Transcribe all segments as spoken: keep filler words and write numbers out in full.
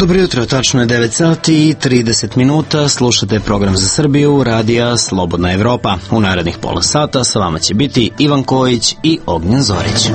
Dobro jutro, tačno je devet sati i trideset minuta, slušate program za Srbiju, radija Slobodna Evropa. U narednih pola sata sa vama će biti Ivan Kojić i Ognjen Zorić.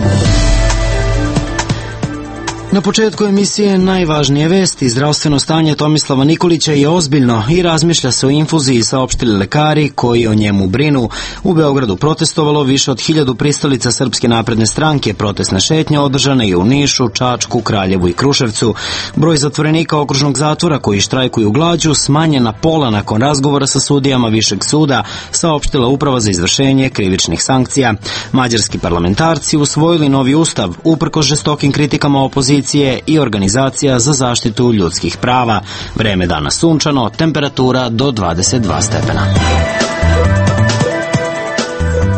Na početku emisije najvažnije vesti. Zdravstveno stanje Tomislava Nikolića je ozbiljno i razmišlja se o infuziji, saopštili lekari koji o njemu brinu. U Beogradu protestovalo više od hiljadu pristalica Srpske napredne stranke. Protestna šetnja održana je u Nišu, Čačku, Kraljevu i Kruševcu. Broj zatvorenika okružnog zatvora koji štrajkuju glađu smanjen na pola nakon razgovora sa sudijama Višeg suda, saopštila Uprava za izvršenje krivičnih sankcija. Mađarski parlamentarci usvojili novi ustav, uprkos žestokim kritikama opozicije i Organizacija za zaštitu ljudskih prava. Vreme dana sunčano, temperatura do dvadeset dva stepena.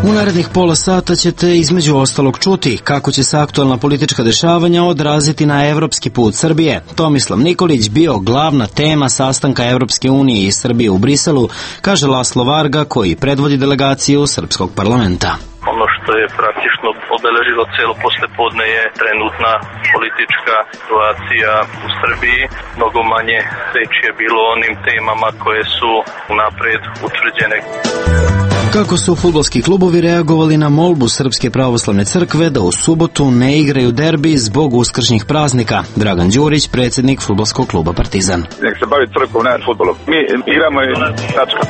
U narednih pola sata ćete između ostalog čuti kako će se aktualna politička dešavanja odraziti na evropski put Srbije. Tomislav Nikolić bio glavna tema sastanka Evropske unije i Srbije u Briselu, kaže Laslo Varga koji predvodi delegaciju Srpskog parlamenta. Ono što je praktično obeležilo celo poslepodne je trenutna politička situacija u Srbiji. Mnogo manje reči je bilo o onim temama koje su unapred utvrđene. Kako su fudbalski klubovi reagovali na molbu Srpske pravoslavne crkve da u subotu ne igraju derbi zbog uskršnjih praznika? Dragan Đurić, predsjednik fudbalskog kluba Partizan. Nek se bavi crkvom, ne fudbalom. Mi igramo i tačka.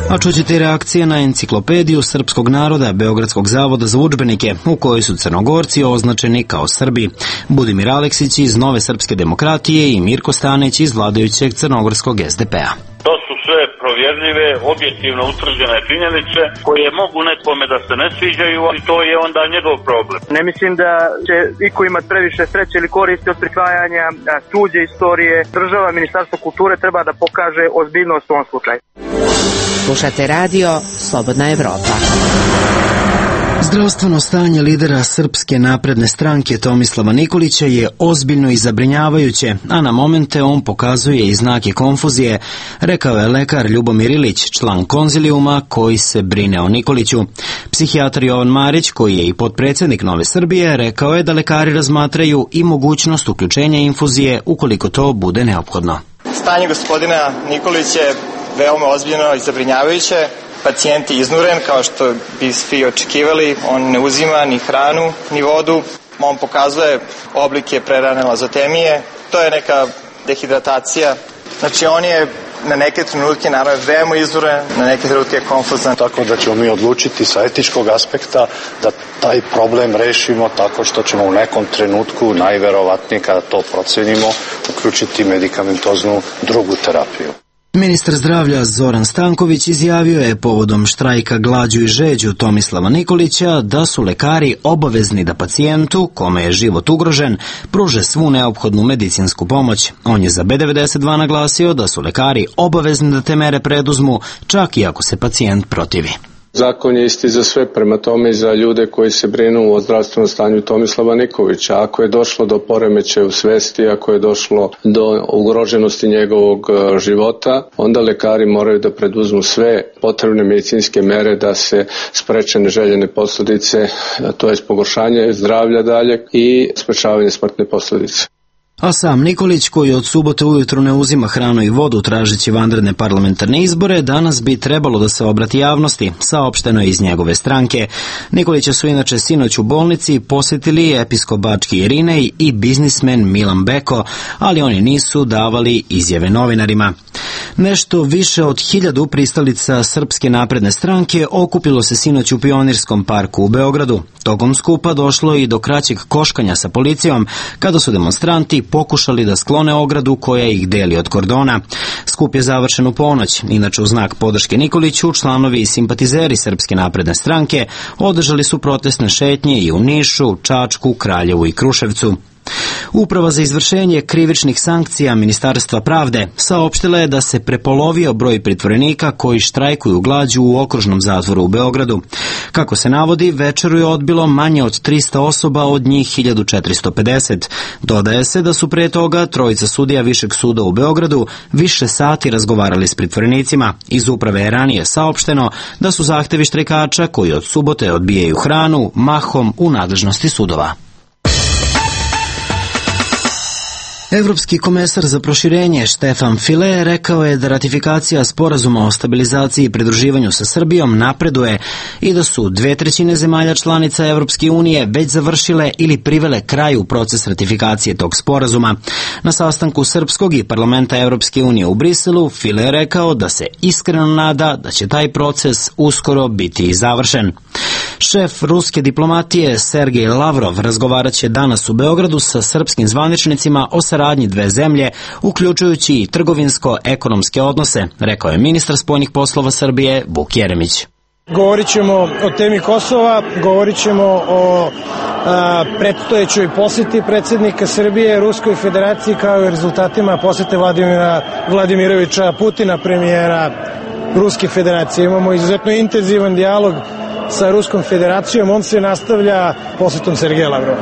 A čućete i reakcije na enciklopediju srpskog naroda Beogradskog zavoda za udžbenike, u kojoj su Crnogorci označeni kao Srbi. Budimir Aleksić iz Nove srpske demokratije i Mirko Stanić iz vladajućeg crnogorskog es de pe a. To su sve provjerljive, objektivno utvrđene činjenice koje mogu nekome da se ne sviđaju, ali to je onda njegov problem. Ne mislim da će iko imati previše sreće ili koristi od prikvajanja tuđe istorije. Država, Ministarstvo kulture treba da pokaže ozbiljnost u ovom slučaju. Slušate radio Slobodna Evropa. Zdravstveno stanje lidera Srpske napredne stranke Tomislava Nikolića je ozbiljno i zabrinjavajuće, a na momente on pokazuje i znake konfuzije, rekao je lekar Ljubomir Ilić, član konzilijuma koji se brine o Nikoliću. Psihijatar Jovan Marić, koji je i potpredsjednik Nove Srbije, rekao je da lekari razmatraju i mogućnost uključenja infuzije ukoliko to bude neophodno. Stanje gospodina Nikolića je veoma ozbiljno i zabrinjavajuće. Pacijent je iznuren, kao što bi svi očekivali. On ne uzima ni hranu, ni vodu. On pokazuje oblike prerane lazotemije. To je neka dehidratacija. Znači, on je na neke trenutke naravno veoma iznuren, na neke trenutke konfuzan. Tako da ćemo mi odlučiti sa etičkog aspekta da taj problem rešimo tako što ćemo u nekom trenutku, najverovatnije kada to procenimo, uključiti medikamentoznu drugu terapiju. Ministar zdravlja Zoran Stanković izjavio je povodom štrajka glađu i žeđu Tomislava Nikolića da su lekari obavezni da pacijentu, kome je život ugrožen, pruže svu neophodnu medicinsku pomoć. On je za be devedeset dva naglasio da su lekari obavezni da te mere preduzmu, čak i ako se pacijent protivi. Zakon je isti za sve, prema tome i za ljude koji se brinu o zdravstvenom stanju Tomislava Nikolića. Ako je došlo do poremećaja u svesti, ako je došlo do ugroženosti njegovog života, onda lekari moraju da preduzmu sve potrebne medicinske mere da se spreče neželjene posljedice, to je pogoršanje zdravlja daljeg i sprečavanje smrtne posljedice. A sam Nikolić, koji od subote ujutru ne uzima hranu i vodu tražeći vanredne parlamentarne izbore, danas bi trebalo da se obrati javnosti, saopšteno je iz njegove stranke. Nikolića su inače sinoć u bolnici posjetili episkop Bački Irinej i biznismen Milan Beko, ali oni nisu davali izjave novinarima. Nešto više od hiljadu pristalica Srpske napredne stranke okupilo se sinoć u Pionirskom parku u Beogradu. Tokom skupa došlo i do kraćeg koškanja sa policijom, kada su demonstranti pokušali da sklone ogradu koja ih deli od kordona. Skup je završen u ponoć. Inače, u znak podrške Nikoliću, članovi i simpatizeri Srpske napredne stranke održali su protestne šetnje i u Nišu, Čačku, Kraljevu i Kruševcu. Uprava za izvršenje krivičnih sankcija Ministarstva pravde saopštila je da se prepolovio broj pritvorenika koji štrajkuju glađu u okružnom zatvoru u Beogradu. Kako se navodi, večeru je odbilo manje od trista osoba, od njih hiljadu četiristo pedeset. Dodaje se da su pre toga trojica sudija Višeg suda u Beogradu više sati razgovarali s pritvorenicima. Iz uprave je ranije saopšteno da su zahtevi štrajkača koji od subote odbijaju hranu mahom u nadležnosti sudova. Evropski komesar za proširenje Štefan File rekao je da ratifikacija sporazuma o stabilizaciji i pridruživanju sa Srbijom napreduje i da su dve trećine zemalja članica Evropske unije već završile ili privele kraju proces ratifikacije tog sporazuma. Na sastanku Srpskog i parlamenta Evropske unije u Briselu, File je rekao da se iskreno nada da će taj proces uskoro biti i završen. Šef ruske diplomatije Sergej Lavrov razgovarat će danas u Beogradu sa srpskim zvaničnicima o saradnji dve zemlje, uključujući i trgovinsko-ekonomske odnose, rekao je ministar spoljnih poslova Srbije Vuk Jeremić. Govorit ćemo o temi Kosova, govorit ćemo o a, predstojećoj poseti predsjednika Srbije Ruskoj federaciji kao i rezultatima posete Vladimira Vladimirovića Putina, premijera Ruske federacije. Imamo izuzetno intenzivan dijalog sa Ruskom federacijom, on se nastavlja posetom Sergeja Lavrova.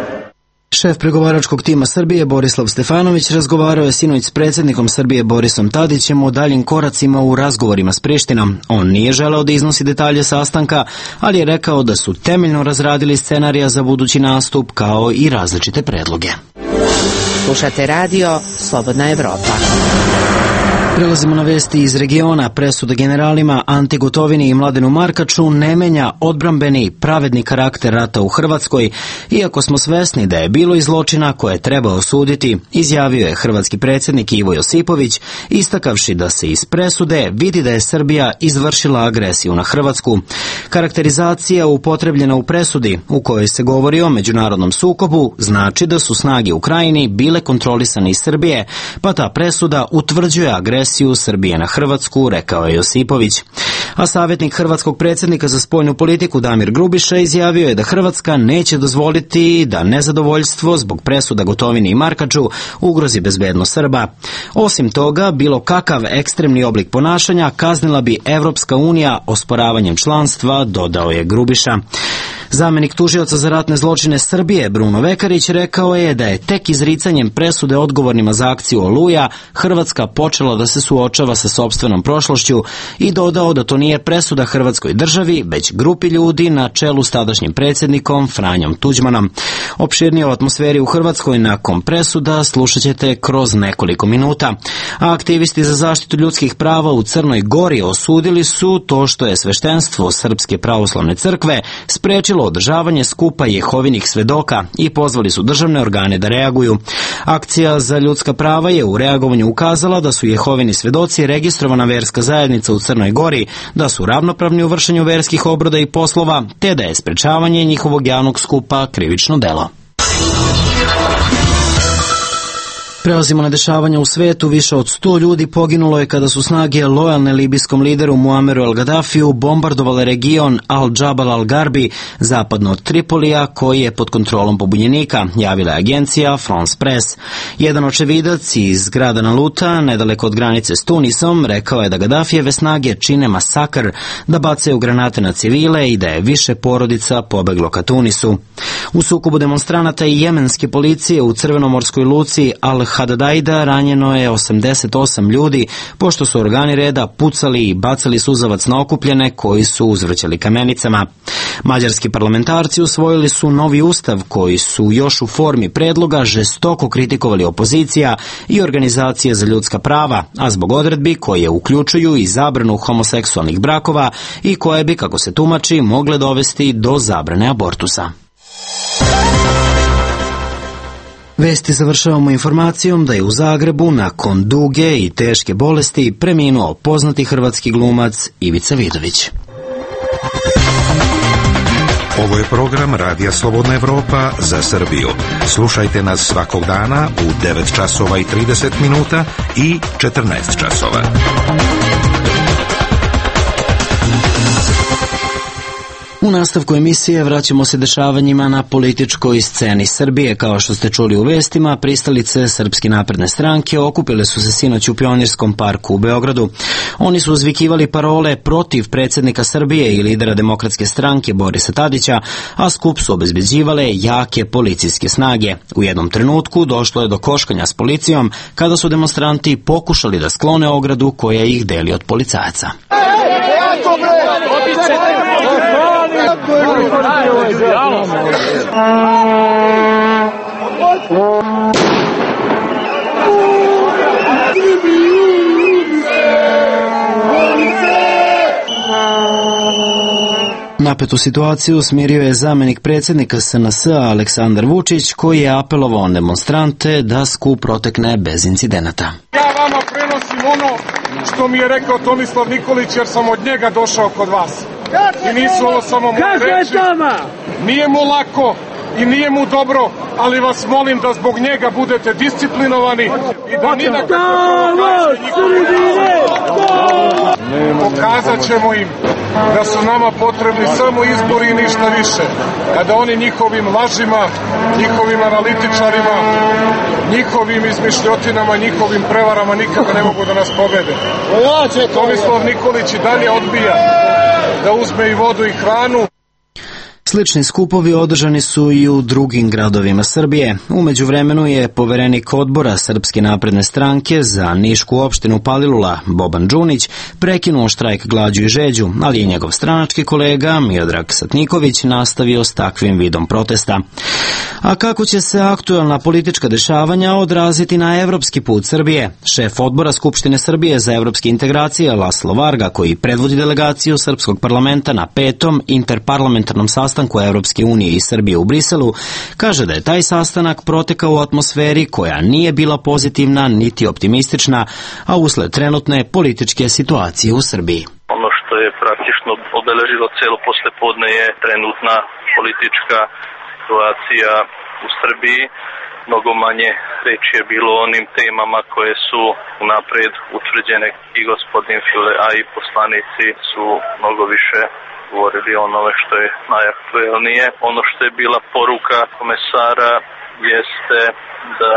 Šef pregovaračkog tima Srbije Borislav Stefanović razgovarao je sinoć s predsjednikom Srbije Borisom Tadićem o daljim koracima u razgovorima s Prištinom. On nije želeo da iznosi detalje sastanka, ali je rekao da su temeljno razradili scenarija za budući nastup kao i različite predloge. Slušate radio Slobodna Evropa. Prelazimo na vesti iz regiona. Presuda generalima Anti Gotovini i Mladenu Markaču ne menja odbrambeni pravedni karakter rata u Hrvatskoj, iako smo svesni da je bilo i zločina koje treba osuditi, izjavio je hrvatski predsjednik Ivo Josipović, istakavši da se iz presude vidi da je Srbija izvršila agresiju na Hrvatsku. Karakterizacija upotrebljena u presudi, u kojoj se govori o međunarodnom sukobu, znači da su snage u Krajini bile kontrolisane iz Srbije, pa ta presuda utvrđuje agresiju Srbije na Hrvatsku, rekao je Josipović. A savjetnik hrvatskog predsjednika za spoljnu politiku Damir Grubiša izjavio je da Hrvatska neće dozvoliti da nezadovoljstvo zbog presuda Gotovini i Markaču ugrozi bezbednost Srba. Osim toga, bilo kakav ekstremni oblik ponašanja kaznila bi Evropska unija osporavanjem članstva, dodao je Grubiša. Zamenik tužioca za ratne zločine Srbije Bruno Vekarić rekao je da je tek izricanjem presude odgovornima za akciju Oluja Hrvatska počela da se suočava sa sopstvenom prošlošću i dodao da to nije presuda Hrvatskoj državi, već grupi ljudi na čelu s tadašnjim predsjednikom Franjom Tuđmanom. Opširnije o atmosferi u Hrvatskoj nakon presuda slušat ćete kroz nekoliko minuta. A aktivisti za zaštitu ljudskih prava u Crnoj Gori osudili su to što je sveštenstvo Srpske pravoslavne crkve sprečilo održavanje skupa Jehovinih svedoka i pozvali su državne organe da reaguju. Akcija za ljudska prava je u reagovanju ukazala da su Jehovini svedoci registrovana verska zajednica u Crnoj Gori, da su ravnopravni u vršenju verskih obroda i poslova, te da je sprečavanje njihovog javnog skupa krivično delo. Prelazimo na dešavanja u svetu. Više od sto ljudi poginulo je kada su snage lojalne libijskom lideru Muammeru al-Gaddafiju bombardovale region Al-Jabal al-Garbi, zapadno od Tripolija, koji je pod kontrolom pobunjenika, javila je agencija France Press. Jedan očevidac iz grada Naluta, nedaleko od granice s Tunisom, rekao je da Gaddafijeve snage čine masakr, da bacaju granate na civile i da je više porodica pobeglo ka Tunisu. U sukobu demonstranata i jemenske policije u crvenomorskoj luci Al-Hadadaida ranjeno je osamdeset osam ljudi, pošto su organi reda pucali i bacali suzavac na okupljene koji su uzvrćali kamenicama. Mađarski parlamentarci usvojili su novi ustav koji su još u formi predloga žestoko kritikovali opozicija i organizacije za ljudska prava, a zbog odredbi koje uključuju i zabranu homoseksualnih brakova i koje bi, kako se tumači, mogle dovesti do zabrane abortusa. Vesti završavamo informacijom da je u Zagrebu nakon duge i teške bolesti preminuo poznati hrvatski glumac Ivica Vidović. Ovo je program Radija Slobodna Evropa za Srbiju. Slušajte nas svakog dana u devet časova i trideset minuta i četrnaest časova. U nastavku emisije vraćamo se dešavanjima na političkoj sceni Srbije. Kao što ste čuli u vestima, pristalice Srpske napredne stranke okupile su se sinoć u Pionirskom parku u Beogradu. Oni su uzvikivali parole protiv predsjednika Srbije i lidera Demokratske stranke Borisa Tadića, a skup su obezbeđivale jake policijske snage. U jednom trenutku došlo je do koškanja s policijom kada su demonstranti pokušali da sklone ogradu koja ih deli od policajaca. Napetu situaciju smirio je zamenik predsjednika S N S-a Aleksandar Vučić, koji je apelovao na demonstrante da skup protekne bez incidenata. Ja vama prenosim ono što mi je rekao Tomislav Nikolić, jer sam od njega došao kod vas. I nisu ovo samo moje reči. Nije mu lako i nije mu dobro, ali vas molim da zbog njega budete disciplinovani i da ni na pokazat ćemo im da su nama potrebni samo izbori i ništa više. Kada oni njihovim lažima, njihovim analitičarima, njihovim izmišljotinama, njihovim prevarama nikada ne mogu da nas pobede. Tomislav Nikolić i dalje odbija da uzme i vodu i hranu. Slični skupovi održani su i u drugim gradovima Srbije. U međuvremenu je poverenik odbora Srpske napredne stranke za Nišku opštinu Palilula, Boban Đunić, prekinuo štrajk glađu i žeđu, ali je njegov stranački kolega Miodrag Satniković nastavio s takvim vidom protesta. A kako će se aktuelna politička dešavanja odraziti na evropski put Srbije? Šef odbora Skupštine Srbije za evropske integracije Laslo Varga, koji predvodi delegaciju Srpskog parlamenta na petom interparlamentarnom sastanku Evropske unije i Srbije u Briselu, kaže da je taj sastanak protekao u atmosferi koja nije bila pozitivna niti optimistična, a usled trenutne političke situacije u Srbiji. Ono što je praktično obeležilo celo poslepodne je trenutna politička situacija u Srbiji. Mnogo manje reči je bilo o onim temama koje su unapred utvrđene i gospodin File, a i poslanici su mnogo više govorili o onome što je najaktuelnije. Ono što je bila poruka komesara jeste da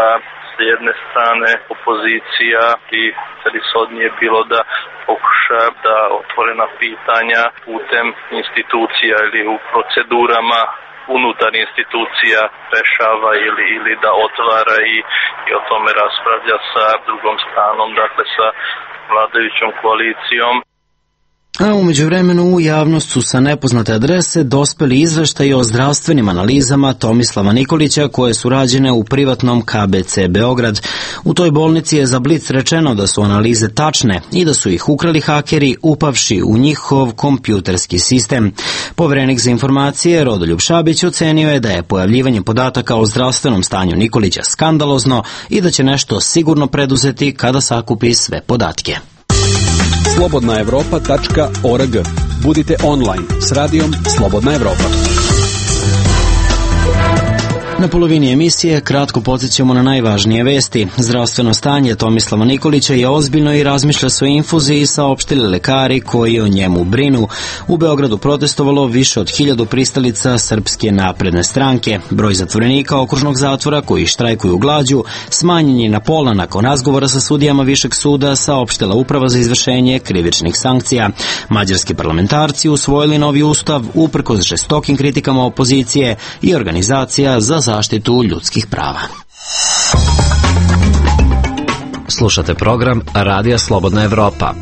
s jedne strane opozicija i celishodnije bilo da pokuša da otvorena pitanja putem institucija ili u procedurama unutar institucija rešava ili, ili da otvara i, i o tome raspravlja sa drugom stranom, dakle sa vladajućom koalicijom. A u međuvremenu u javnost su sa nepoznate adrese dospeli izveštaji o zdravstvenim analizama Tomislava Nikolića koje su rađene u privatnom K B C Beograd. U toj bolnici je za Blic rečeno da su analize tačne i da su ih ukrali hakeri upavši u njihov kompjuterski sistem. Poverenik za informacije Rodoljub Šabić ocenio je da je pojavljivanje podataka o zdravstvenom stanju Nikolića skandalozno i da će nešto sigurno preduzeti kada sakupi sve podatke. slobodna evropa tačka org. Budite online s radijom Slobodna Evropa. Na polovini emisije kratko podsjećamo na najvažnije vesti. Zdravstveno stanje Tomislava Nikolića je ozbiljno i razmišlja svoj infuziji, saopštili lekari koji o njemu brinu. U Beogradu protestovalo više od hiljadu pristalica Srpske napredne stranke. Broj zatvorenika okružnog zatvora koji štrajkuju glađu smanjen je na pola nakon razgovora sa sudijama Višeg suda, saopštila Uprava za izvršenje krivičnih sankcija. Mađarski parlamentarci usvojili novi ustav uprkos žestokim kritikama opozicije i organizacija za zaštitu ljudskih prava. Slušate program Radija Slobodna Evropa.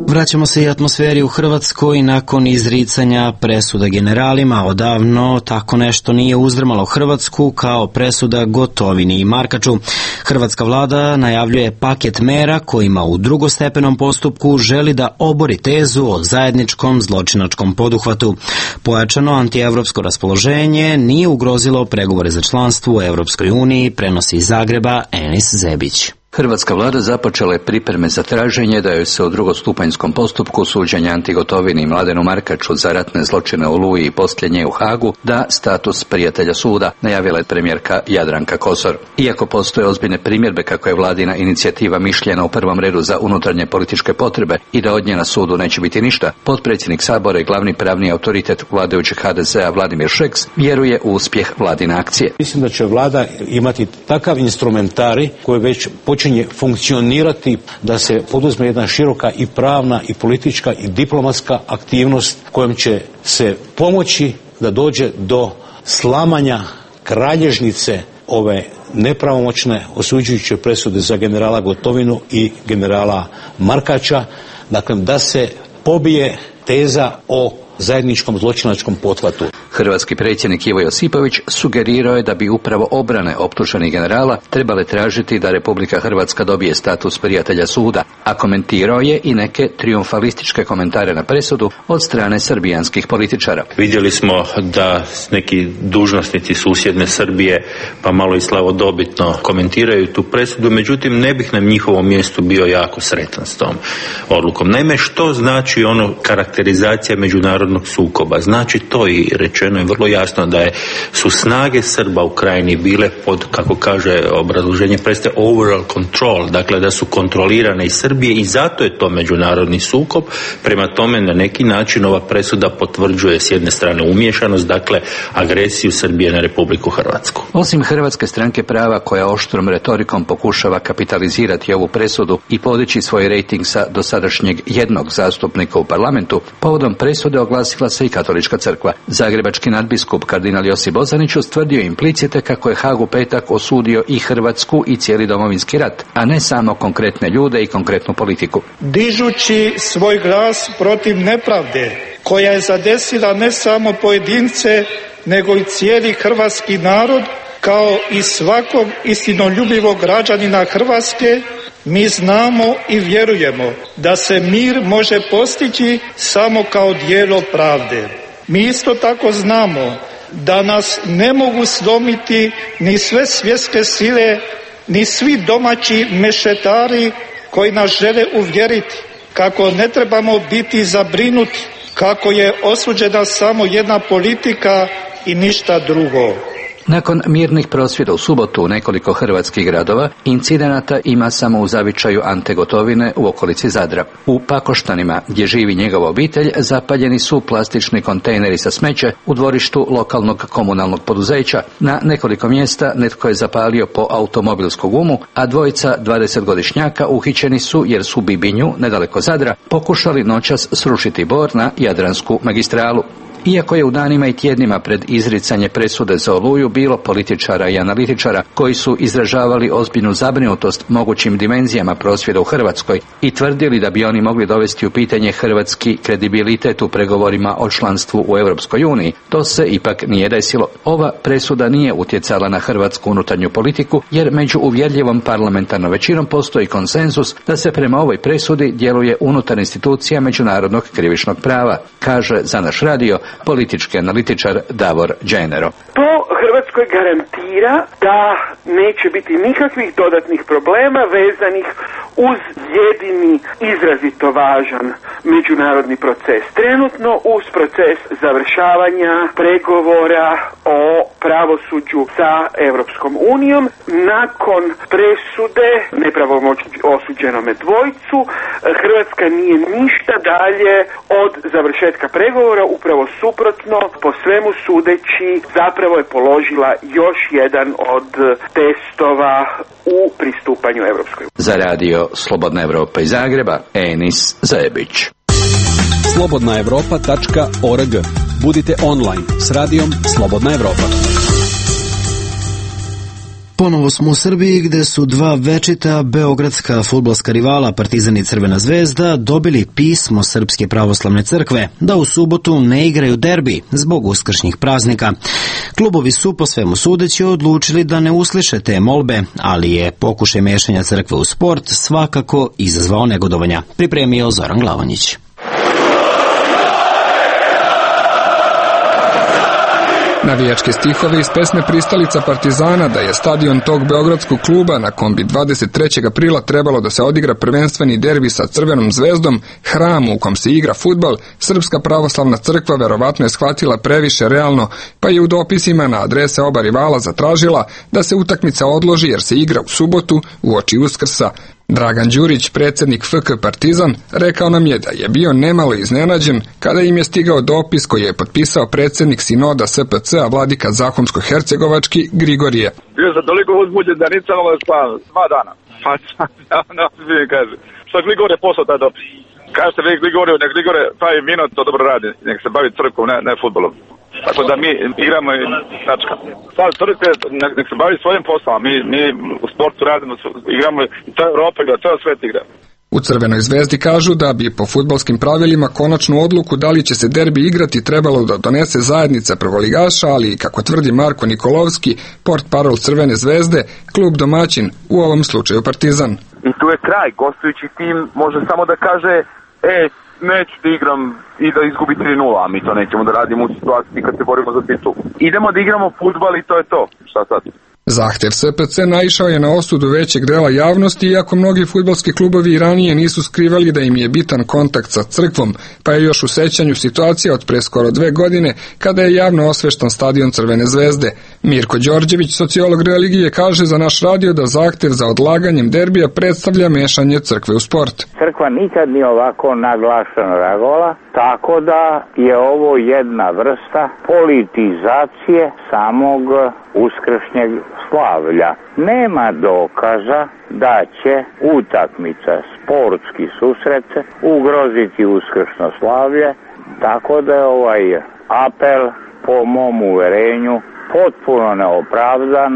Vraćamo se i atmosferi u Hrvatskoj nakon izricanja presuda generalima. Odavno tako nešto nije uzdrmalo Hrvatsku kao presuda Gotovini i Markaču. Hrvatska vlada najavljuje paket mera kojima u drugostepenom postupku želi da obori tezu o zajedničkom zločinačkom poduhvatu. Pojačano antievropsko raspoloženje nije ugrozilo pregovore za članstvo u Evropskoj uniji, prenosi iz Zagreba Enis Zebić. Hrvatska vlada započela je pripreme za traženje da joj se u drugostupanjskom postupku suđenja Anti Gotovini i Mladenu Markaču za ratne zločine u Oluji i poslije nje u Hagu da status prijatelja suda, najavila je premijerka Jadranka Kosor. Iako postoje ozbiljne primjedbe kako je vladina inicijativa mišljena u prvom redu za unutarnje političke potrebe i da od nje na sudu neće biti ništa, potpredsjednik Sabora i glavni pravni autoritet vladajućeg H D Z-a Vladimir Šeks vjeruje u uspjeh vladine akcije. Mislim da će vlada imati takav instrumentari koji već počinje funkcionirati da se poduzme jedna široka i pravna i politička i diplomatska aktivnost kojom će se pomoći da dođe do slamanja kralježnice ove nepravomoćne osuđujuće presude za generala Gotovinu i generala Markača, dakle da se pobije teza o zajedničkom zločinačkom pothvatu. Hrvatski predsjednik Ivo Josipović sugerirao je da bi upravo obrane optuženih generala trebale tražiti da Republika Hrvatska dobije status prijatelja suda, a komentirao je i neke triumfalističke komentare na presudu od strane srbijanskih političara. Vidjeli smo da neki dužnosnici susjedne Srbije pa malo i slavodobitno komentiraju tu presudu, međutim ne bih na njihovom mjestu bio jako sretan s tom odlukom. Naime, što znači ono karakterizacija međunarodnog sukoba? Znači to i rečeno je vrlo jasno da je, su snage Srba u Krajini bile pod, kako kaže obrazloženje prestaje, overall control, dakle da su kontrolirane iz Srbije i zato je to međunarodni sukob. Prema tome na neki način ova presuda potvrđuje s jedne strane umiješanost, dakle agresiju Srbije na Republiku Hrvatsku. Osim Hrvatske stranke prava koja oštrom retorikom pokušava kapitalizirati ovu presudu i podići svoj rejting sa dosadašnjeg jednog zastupnika u parlamentu, povodom presude oglasila se i Katolička crkva. Zagrebački nadbiskup kardinal Josip Bozanić ustvrdio implicite kako je Hag u petak osudio i Hrvatsku i cijeli Domovinski rat, a ne samo konkretne ljude i konkretnu politiku. Dižući svoj glas protiv nepravde koja je zadesila ne samo pojedince, nego i cijeli hrvatski narod, kao i svakog istinoljubivog građanina Hrvatske, mi znamo i vjerujemo da se mir može postići samo kao djelo pravde. Mi isto tako znamo da nas ne mogu slomiti ni sve svjetske sile, ni svi domaći mešetari koji nas žele uvjeriti kako ne trebamo biti zabrinuti, kako je osuđena samo jedna politika i ništa drugo. Nakon mirnih prosvjeda u subotu u nekoliko hrvatskih gradova, incidenata ima samo u zavičaju Ante Gotovine u okolici Zadra. U Pakoštanima, gdje živi njegova obitelj, zapaljeni su plastični kontejneri sa smeće u dvorištu lokalnog komunalnog poduzeća. Na nekoliko mjesta netko je zapalio po automobilsku gumu, a dvojica dvadesetgodišnjaka uhićeni su jer su u Bibinju, nedaleko Zadra, pokušali noćas srušiti bor na Jadransku magistralu. Iako je u danima i tjednima pred izricanje presude za Oluju bilo političara i analitičara koji su izražavali ozbiljnu zabrinutost mogućim dimenzijama prosvjeda u Hrvatskoj i tvrdili da bi oni mogli dovesti u pitanje hrvatski kredibilitet u pregovorima o članstvu u Europskoj uniji, to se ipak nije desilo. Ova presuda nije utjecala na hrvatsku unutarnju politiku jer među uvjerljivom parlamentarnom većinom postoji konsenzus da se prema ovoj presudi djeluje unutar institucija međunarodnog krivičnog prava, kaže za naš radio politički analitičar Davor Đenero. To Hrvatskoj garantira da neće biti nikakvih dodatnih problema vezanih uz jedini izrazito važan međunarodni proces. Trenutno uz proces završavanja pregovora o pravosuđu sa Europskom unijom, nakon presude nepravomoćno osuđenome dvojcu, Hrvatska nije ništa dalje od završetka pregovora, upravo suprotno, po svemu sudeći zapravo je položila još jedan od testova u pristupanju Europskoj uniji. Za radio Slobodna Evropa iz Zagreba, Enis Zajebić. slobodna evropa tačka org. Budite online s radijom Slobodna Evropa. Ponovo smo u Srbiji gdje su dva večita beogradska fudbalska rivala Partizan i Crvena zvezda dobili pismo Srpske pravoslavne crkve da u subotu ne igraju derbi zbog uskršnjih praznika. Klubovi su po svemu sudeći odlučili da ne usliše te molbe, ali je pokušaj mešanja crkve u sport svakako izazvao negodovanja. Pripremio Zoran Glavonjić. Navijačke stihove iz pesme Pristalica Partizana da je stadion tog beogradskog kluba na kom bi dvadeset trećeg aprila trebalo da se odigra prvenstveni derbi sa Crvenom zvezdom, hramu u kom se igra fudbal, Srpska pravoslavna crkva verovatno je shvatila previše realno, pa je u dopisima na adrese oba rivala zatražila da se utakmica odloži jer se igra u subotu uoči Uskrsa. Dragan Đurić, predsjednik F K Partizan, rekao nam je da je bio nemalo iznenađen kada im je stigao dopis koji je potpisao predsjednik sinoda S P C-a vladika Zahumsko-Hercegovački Grigorije. Bio sam toliko uzbuđen da nisam ovo spavao dva dana. Pa ja ne smijem kaže. Što Grigorije poslao taj dopis? Kažete vi Grigoriju, nek Grigorije taj minut to dobro radi, nek se bavi crkvom, ne, ne futbolom. Tako da mi igramo i tačka. Sad crkve, nek, nek se bavi svojim poslom, mi, mi u sportu radimo, igramo i to je Europa igra, to je svet igra. U Crvenoj zvezdi kažu da bi po fudbalskim pravilima konačnu odluku da li će se derbi igrati trebalo da donese zajednica prvoligaša, ali kako tvrdi Marko Nikolovski, portparol Crvene zvezde, klub domaćin, u ovom slučaju Partizan. I tu je kraj, gostujući tim može samo da kaže, e, neću da igram i da izgubi tri nula, a mi to nećemo da radimo u situaciji kad se borimo za titul. Idemo da igramo fudbal i to je to. Šta sad? Zahtev S P C naišao je na osudu većeg dela javnosti, iako mnogi fudbalski klubovi i ranije nisu skrivali da im je bitan kontakt sa crkvom, pa je još u sećanju situacija od pre skoro dve godine kada je javno osveštan stadion Crvene zvezde. Mirko Đorđević, sociolog religije, kaže za naš radio da zahtev za odlaganjem derbija predstavlja mešanje crkve u sport. Crkva nikad nije ovako naglašeno reagovala, tako da je ovo jedna vrsta politizacije samog uskršnjeg slavlja. Nema dokaza da će utakmica, sportski susret ugroziti uskršno slavlje, tako da je ovaj apel po mom uverenju potpuno neopravdan.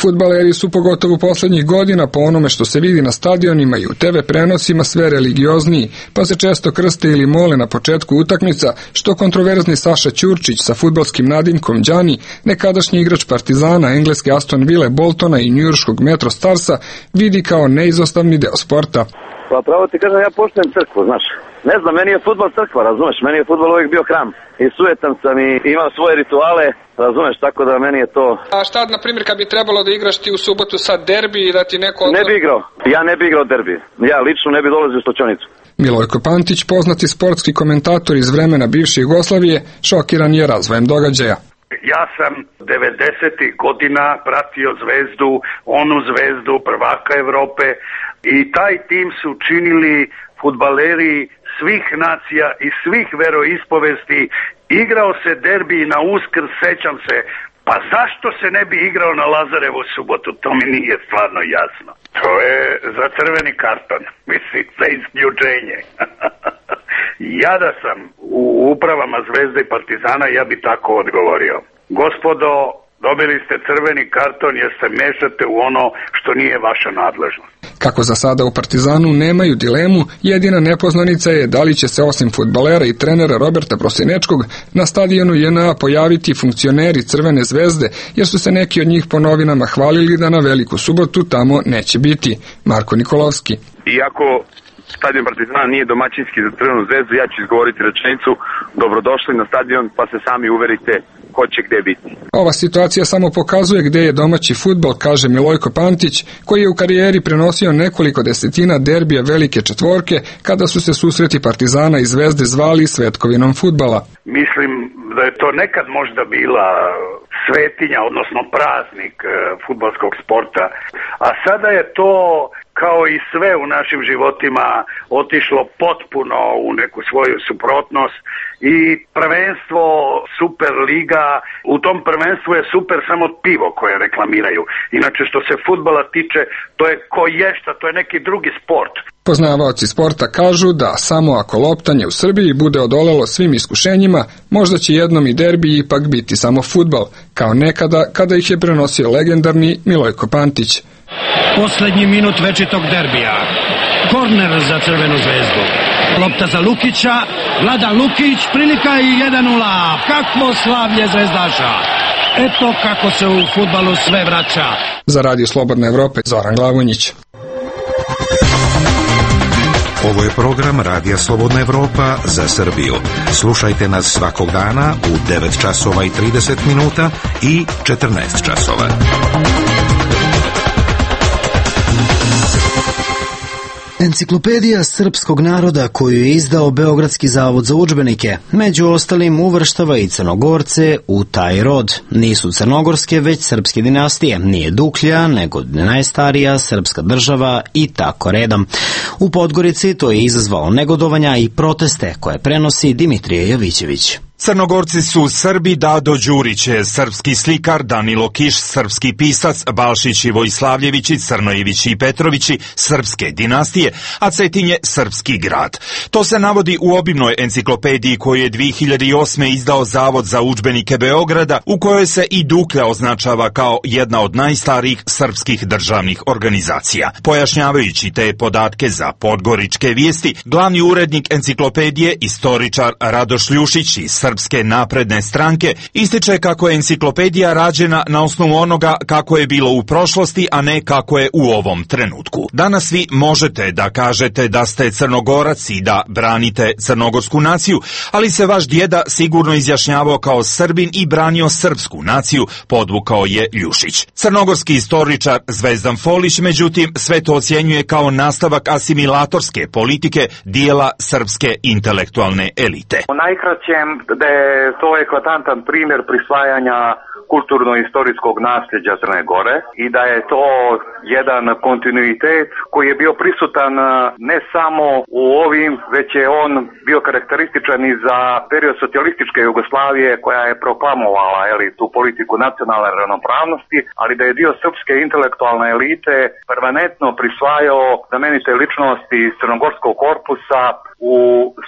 Fudbaleri su pogotovo poslednjih godina po onome što se vidi na stadionima i u te ve prenosima sve religiozniji, pa se često krste ili mole na početku utakmica, što kontroverzni Saša Ćurčić sa fudbalskim nadimkom Đani, nekadašnji igrač Partizana, engleske Aston Ville, Boltona i njujorškog Metro Starsa, vidi kao neizostavni deo sporta. Pa pravo ti kažem, ja poštujem crkvu, znaš. Ne znam, meni je fudbal crkva, razumeš, meni je fudbal uvijek bio hram. I sujetan sam i imam svoje rituale, razumeš, tako da meni je to... A šta, na primjer, kad bi trebalo da igraš ti u subotu sad derbi i da ti neko... Ne bi igrao, ja ne bi igrao derbi. Ja lično ne bi dolazio u Stočonicu. Milojko Pantić, poznati sportski komentator iz vremena bivše Jugoslavije, šokiran je razvojem događaja. Ja sam devedesetih godina pratio Zvezdu, onu Zvezdu prvaka Evrope i taj tim su činili fudbaleri svih nacija i svih veroispovesti. Igrao se derbi na Uskrs, sećam se. Pa zašto se ne bi igrao na Lazarevu subotu? To mi nije stvarno jasno. To je za crveni karton, mislim, za isključenje. Ja da sam u upravama Zvezde i Partizana, ja bi tako odgovorio. Gospodo, dobili ste crveni karton jer se mešate u ono što nije vaša nadležnost. Kako za sada u Partizanu nemaju dilemu, jedina nepoznanica je da li će se osim fudbalera i trenera Roberta Prosinečkog na stadionu J N A pojaviti funkcioneri Crvene zvezde, jer su se neki od njih po novinama hvalili da na Veliku subotu tamo neće biti. Marko Nikolovski. Iako stadion Partizana nije domaćinski za Crvenu zvezdu, ja ću izgovoriti rečenicu: dobrodošli na stadion pa se sami uverite ko će gde biti. Ova situacija samo pokazuje gde je domaći fudbal, kaže Milojko Pantić, koji je u karijeri prenosio nekoliko desetina derbija velike četvorke kada su se susreti Partizana i Zvezde zvali svetkovinom fudbala. Mislim da je to nekad možda bila svetinja, odnosno praznik fudbalskog sporta, a sada je to kao i sve u našim životima otišlo potpuno u neku svoju suprotnost i prvenstvo Super Liga, u tom prvenstvu je super samo pivo koje reklamiraju. Inače što se fudbala tiče, to je koješta, to je neki drugi sport. Poznavaoci sporta kažu da samo ako loptanje u Srbiji bude odolelo svim iskušenjima, možda će jednom i derbi ipak biti samo fudbal, kao nekada kada ih je prenosio legendarni Milojko Pantić. Poslednji minut večitog derbija. Korner za Crvenu zvezdu. Lopta za Lukića. Vladan Lukić, prilika i jedan nula. Kakvo slavlje zvezdaša. Eto kako se u fudbalu sve vraća. Za Radio Slobodne Evrope, Zoran Glavonjić. Ovo je program Radija Slobodna Evropa za Srbiju. Slušajte nas svakog dana u devet časova i trideset minuta i četrnaest časova. Enciklopedija srpskog naroda koju je izdao Beogradski zavod za udžbenike, među ostalim uvrštava i Crnogorce u taj rod. Nisu crnogorske, već srpske dinastije. Nije Duklja, nego najstarija srpska država i tako redom. U Podgorici to je izazvalo negodovanja i proteste koje prenosi Dimitrije Jovićević. Crnogorci su Srbi, Dado Đurić je srpski slikar, Danilo Kiš srpski pisac, Balšić i Vojslavljevići, Crnojevići i Petrovići srpske dinastije, a Cetin je srpski grad. To se navodi u obimnoj enciklopediji koju je dvije hiljade osme izdao Zavod za udžbenike Beograda, u kojoj se i Duklja označava kao jedna od najstarijih srpskih državnih organizacija. Pojašnjavajući te podatke za Podgoričke vijesti, glavni urednik enciklopedije, istoričar Radoš Ljušić iz Srpske napredne stranke, ističe kako je enciklopedija rađena na osnovu onoga kako je bilo u prošlosti, a ne kako je u ovom trenutku. Danas vi možete da kažete da ste Crnogorac i da branite crnogorsku naciju, ali se vaš djeda sigurno izjašnjavao kao Srbin i branio srpsku naciju, podvukao je Ljušić. Crnogorski istoričar Zvezdan Folić, međutim, sve to ocjenjuje kao nastavak asimilatorske politike dijela srpske intelektualne elite. U najkraćem da je to eklatantan primjer prisvajanja kulturno-istorijskog nasljeđa Crne Gore i da je to jedan kontinuitet koji je bio prisutan ne samo u ovim, već je on bio karakterističan i za period socijalističke Jugoslavije koja je proklamovala eli, tu politiku nacionalne ravnopravnosti, ali da je dio srpske intelektualne elite permanentno prisvajao znamenite ličnosti iz crnogorskog korpusa u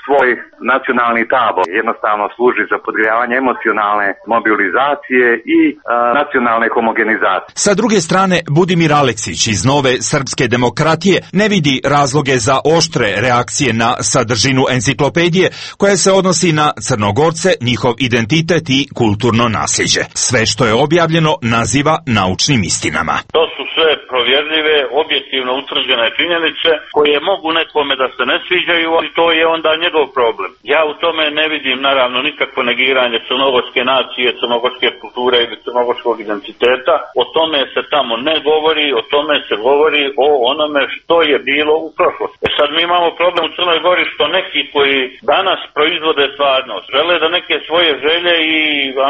svoj nacionalni tabor. Jednostavno služi za podgrijavanje emocionalne mobilizacije i a, nacionalne homogenizacije. Sa druge strane, Budimir Aleksić iz Nove srpske demokratije ne vidi razloge za oštre reakcije na sadržinu enciklopedije koja se odnosi na Crnogorce, njihov identitet i kulturno nasljeđe. Sve što je objavljeno naziva naučnim istinama. To su sve provjerljive, objektivno utvrđene činjenice koje mogu nekome da se ne sviđaju, ali to je onda njegov problem. Ja u tome ne vidim naravno nikakvo negiranje crnogorske nacije, crnogorske kulture ili crnogorskog identiteta. O tome se tamo ne govori, o tome se govori o onome što je bilo u prošlosti. E sad mi imamo problem u Crnoj Gori što neki koji danas proizvode stvarnost, žele da neke svoje želje i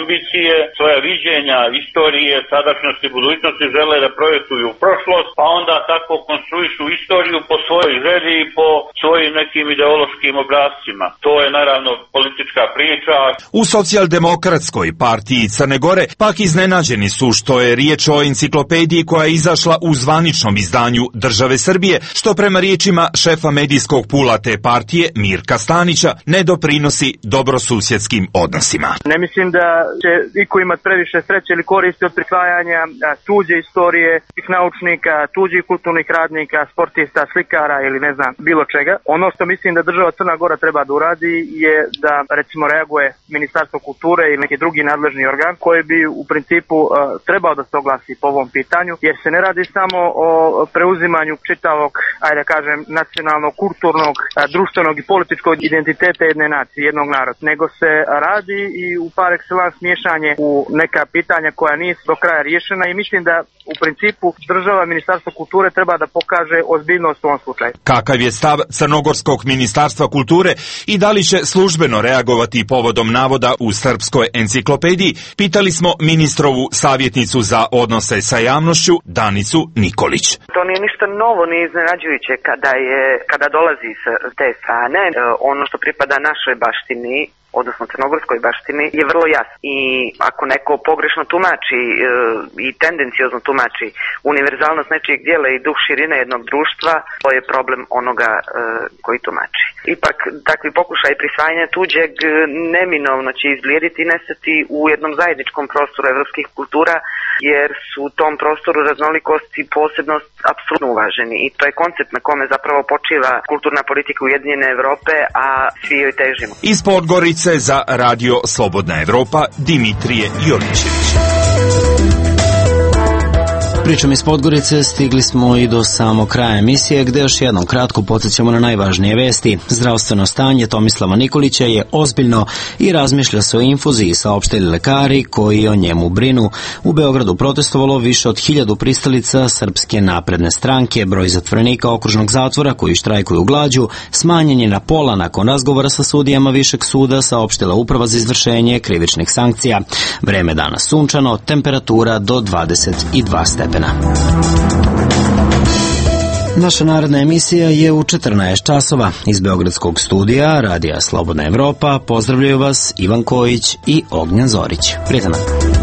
ambicije, svoja viđenja, istorije, sadašnjosti, budućnosti žele da projektuju u prošlost, pa onda tako konstruišu istoriju po svojoj želji i po svojim nekim ideološkim obrazcima. To je naravno politička priča. U socijaldemokratskoj partiji Crne Gore pak iznenađeni su što je riječ o enciklopediji koja je izašla u zvaničnom izdanju države Srbije, što prema riječima šefa medijskog pula te partije Mirka Stanića ne doprinosi dobrosusjedskim odnosima. Ne mislim da će iko imati previše sreće ili koristi od prisvajanja tuđe istorije, tih naučnika, tuđih kulturnih radnika, sportista, slikara ili ne znam, bilo čega. Ono što mislim da država Crna Gora treba da uradi je da recimo reaguje Ministarstvo kulture ili neki drugi nadležni organ koji bi u principu uh, trebao da se oglasi po ovom pitanju, jer se ne radi samo o preuzimanju čitavog, ajde da kažem, nacionalnog, kulturnog, uh, društvenog i političkog identiteta jedne nacije, jednog naroda, nego se radi i u par excellence miješanje u neka pitanja koja nisu do kraja riješena i mislim da u principu država, Ministarstvo kulture treba da pokaže ozbiljnost u ovom slučaju. Kakav je stav Crnogorskog ministarstva kulture i da li će službeno reagovati povodom navoda u srpskoj enciklopediji, pitali smo ministrovu savjetnicu za odnose sa javnošću Danicu Nikolić. To nije ništa novo ni iznenađujuće kada je kada dolazi s te strane. Ono što pripada našoj baštini, odnosno crnogorskoj baštini, je vrlo jasno. I ako neko pogrešno tumači e, i tendencijozno tumači univerzalnost nečijeg dijela i duh širine jednog društva, to je problem onoga e, koji tumači. Ipak, takvi pokušaj prisvajanja tuđeg neminovno će izblijediti i nestati u jednom zajedničkom prostoru evropskih kultura, jer su u tom prostoru raznolikost i posebnost apsolutno uvaženi. I to je koncept na kome zapravo počiva kulturna politika Ujedinjene Evrope, a svi joj težimo. Iz Podgorice za Radio Slobodna Evropa, Dimitrije Jolićević. Pričom iz Podgorice stigli smo i do samog kraja emisije, gde još jednom kratko podsjećamo na najvažnije vesti. Zdravstveno stanje Tomislava Nikolića je ozbiljno i razmišlja se o infuziji, saopštili lekari koji o njemu brinu. U Beogradu protestovalo više od hiljadu pristalica Srpske napredne stranke. Broj zatvorenika okružnog zatvora koji štrajkuju glađu smanjen je na pola nakon razgovora sa sudijama Višeg suda, saopštila Uprava za izvršenje krivičnih sankcija. Vreme danas sunčano, temperatura do dvadeset dva stepena. Naša narodna emisija je u četrnaest časova. Iz Beogradskog studija Radija Slobodna Evropa pozdravljaju vas Ivan Kojić i Ognjan Zorić. Prijatan dan.